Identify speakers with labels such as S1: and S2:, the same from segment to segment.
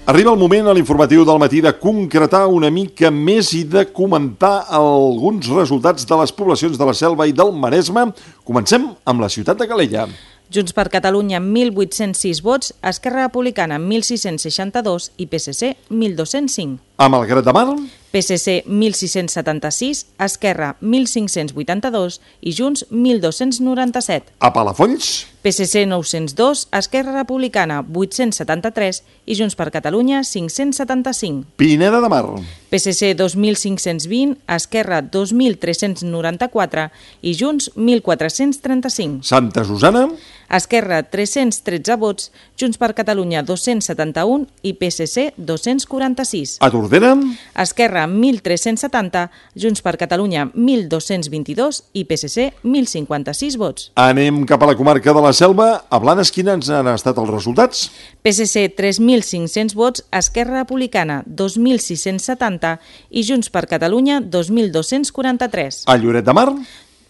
S1: Arriba el moment a l'informatiu del matí de concretar una mica més i de comentar alguns resultats de les poblacions de la Selva i del Maresme. Comencem amb la ciutat de Calella.
S2: Junts per Catalunya, 1.806 vots, Esquerra Republicana, 1.662 i PSC, 1.205.
S1: A Malgrat de Mar,
S2: PSC, 1.676, Esquerra, 1.582 i Junts, 1.297.
S1: a Palafolls,
S2: PSC, 902, Esquerra Republicana, 873 i Junts per Catalunya, 575.
S1: Pineda de Mar,
S2: PSC, 2.520, Esquerra, 2.394 i Junts, 1.435.
S1: Santa Susana,
S2: Esquerra, 313 vots, Junts per Catalunya, 271 i PSC, 246.
S1: a Tordera,
S2: Esquerra, 1.370, Junts per Catalunya, 1.222 i PSC, 1.056 vots.
S1: anem cap a la comarca de la Selva. A Blanes, quins han estat els resultats?
S2: PSC, 3.500 vots, Esquerra Republicana, 2.670 i Junts per Catalunya, 2.243.
S1: A Lloret de Mar,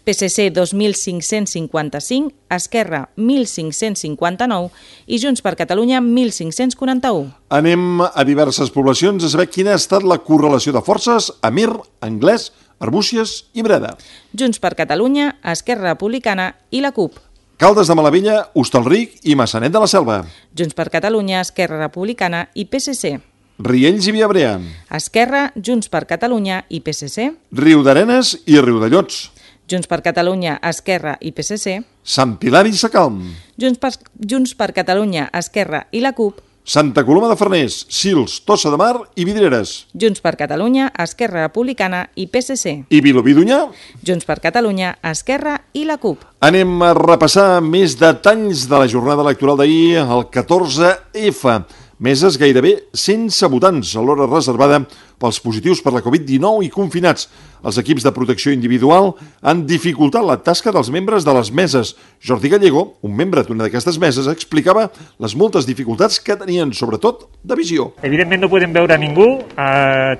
S2: PSC, 2.555, Esquerra, 1.559 i Junts per Catalunya, 1.541.
S1: anem a diverses poblacions a saber quina ha estat la correlació de forces a Mir, Anglès, Arbúcies i Breda.
S2: Junts per Catalunya, Esquerra Republicana i la CUP.
S1: Caldes de Malavella, Hostalric i Massanet de la Selva.
S2: Junts per Catalunya, Esquerra Republicana i PSC.
S1: Riells i Viabrea,
S2: Esquerra, Junts per Catalunya i PSC.
S1: Riudarenes i Riudellots,
S2: Junts per Catalunya, Esquerra i PSC.
S1: Sant Pilar i Sacalm,
S2: Junts per Catalunya, Esquerra i la CUP.
S1: Santa Coloma de Farners, Sils, Tossa de Mar i Vidreres.
S2: Junts per Catalunya, Esquerra Republicana i PSC.
S1: I Vilobí d'Onyar.
S2: Junts per Catalunya, Esquerra i la CUP.
S1: Anem a repassar més detalls de la jornada electoral d'ahir, el 14F. Meses gairebé sense votants a l'hora reservada pels positius per la Covid-19 i confinats. Els equips de protecció individual han dificultat la tasca dels membres de les meses. Jordi Gallego, un membre d'una d'aquestes meses, explicava les moltes dificultats que tenien, sobretot de visió.
S3: Evidentment no podem veure ningú,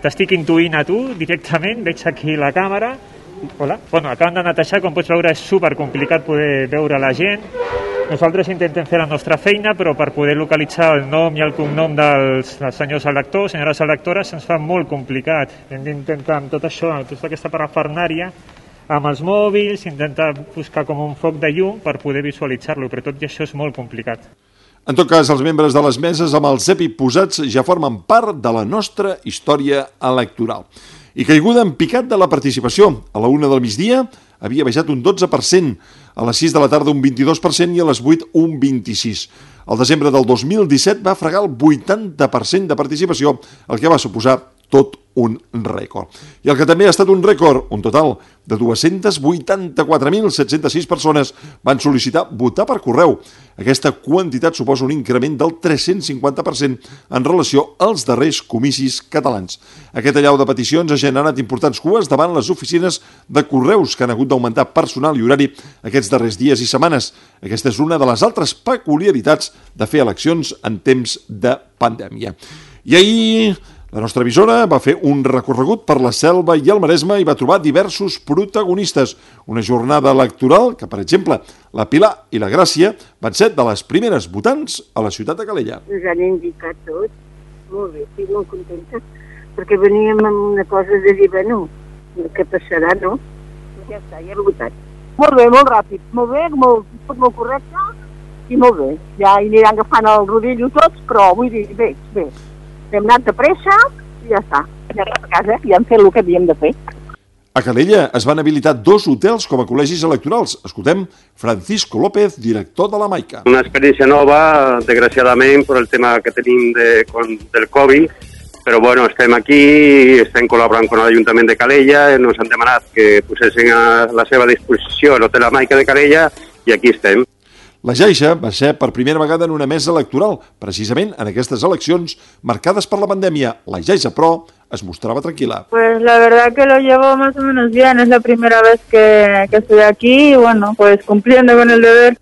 S3: t'estic intuint a tu directament, veig aquí la càmera. Hola. Bueno, acaben de netejar, com pots veure és supercomplicat poder veure la gent. Nosaltres intentem fer la nostra feina, però per poder localitzar el nom i el cognom dels senyors electors, senyores electores, se'ns fa molt complicat. Hem d'intentar amb tot això, amb tota aquesta parafernària, amb els mòbils, intentar buscar com un foc de llum per poder visualitzar-lo, però tot i això és molt complicat.
S1: En tot cas, els membres de les meses amb els EPI posats ja formen part de la nostra història electoral. I caiguda en picat de la participació. A la 1 del migdia havia baixat un 12%, a les 6 de la tarda un 22% i a les 8 un 26%. Al desembre del 2017 va fregar el 80% de participació, el que va suposar tot un rècord. I el que també ha estat un rècord, un total de 284.706 persones van sol·licitar votar per correu. Aquesta quantitat suposa un increment del 350% en relació als darrers comicis catalans. Aquest allau de peticions ha generat importants cues davant les oficines de correus que han hagut d'augmentar personal i horari aquests darrers dies i setmanes. Aquesta és una de les altres peculiaritats de fer eleccions en temps de pandèmia. I ahir la nostra emissora va fer un recorregut per la Selva i el Maresme i va trobar diversos protagonistes. Una jornada electoral que, per exemple, la Pilar i la Gràcia van ser de les primeres votants a la ciutat de Calella.
S4: Ens han indicat tot. Molt bé, estic molt contenta. Perquè veníem amb una cosa de dir, bueno, què passarà, no? Ja està, ja he votat. Molt bé, molt ràpid, molt bé, molt correcte i molt bé. Ja hi aniran agafant el rodillo tots, però vull dir, bé. Hem anat de pressa i ja està. Ja a casa i hem fet el que havíem de fer.
S1: A Calella es van habilitar 2 hotels com a col·legis electorals. Escoltem Francisco López, director de la Maica.
S5: Una experiència nova, desgraciadament, per el tema que tenim del Covid, però bueno, estem aquí, estem col·laborant amb l'Ajuntament de Calella, ens han demanat que posessin a la seva disposició l'Hotel La Maica de Calella i aquí estem.
S1: La Jaixa va ser per primera vegada en una mesa electoral, precisament en aquestes eleccions marcades per la pandèmia. La Jaixa, però, es mostrava tranquil·la.
S6: Pues la verdad que lo llevo más o menos bien, es la primera vez que estoy aquí y bueno, pues cumpliendo con el deber.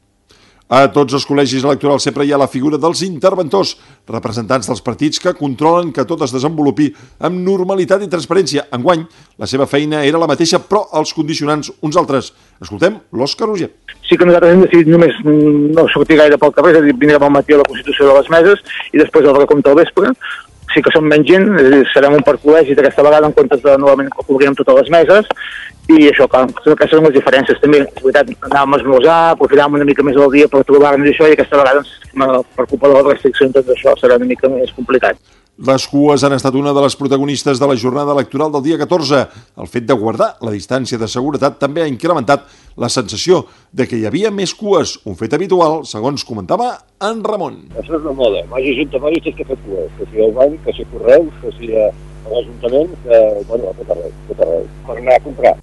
S1: A tots els col·legis electorals sempre hi ha la figura dels interventors, representants dels partits que controlen que tot es desenvolupi amb normalitat i transparència. Enguany, la seva feina era la mateixa, però els condicionants uns altres. Escoltem l'Òscar Roger.
S7: Sí que nosaltres hem decidit només no sortir gaire pel carrer, és a dir, vindrem al matí a la Constitució de les meses i després el recompte al vespre. Sí que som menys gent, és a dir, serem un parc col·legi d'aquesta vegada en comptes de novament que cobrirem totes les meses, i això, clar, aquestes són les diferències. També, és veritat, anàvem a esmorzar, aprofitàvem una mica més del dia per trobar-nos això, i aquesta vegada, per culpa de les restriccions, tot això serà una mica més complicat.
S1: Les cues han estat una de les protagonistes de la jornada electoral del dia 14. El fet de guardar la distància de seguretat també ha incrementat la sensació de que hi havia més cues, un fet habitual, segons comentava en Ramon.
S8: Això és una moda. Vagi ajuntaments que fer cues, que sigui al banc, que sigui Correus, que sigui a l'Ajuntament, que, bueno, a tot arreu, per anar a comprar.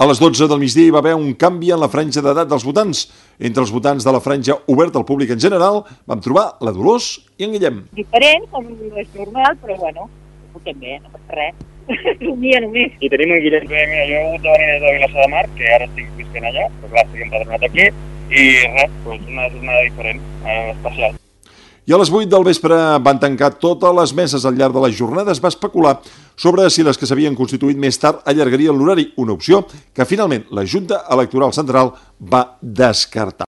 S1: A les 12 del migdia hi va haver un canvi en la franja d'edat dels votants. Entre els votants de la franja oberta al públic en general vam trobar la Dolors i en Guillem.
S6: Diferent, com és normal, però bueno, votem bé, no passa res. Un dia només.
S8: I tenim un Guillem que, mira, jo de venir de Vilassar de Mar, que ara estic visquent allà, però clar, estic empadronat aquí, i res, doncs una jornada diferent, especial.
S1: I a les 8 del vespre van tancar totes les meses al llarg de la jornada. Es va especular sobre si les que s'havien constituït més tard allargarien l'horari, una opció que finalment la Junta Electoral Central va descartar.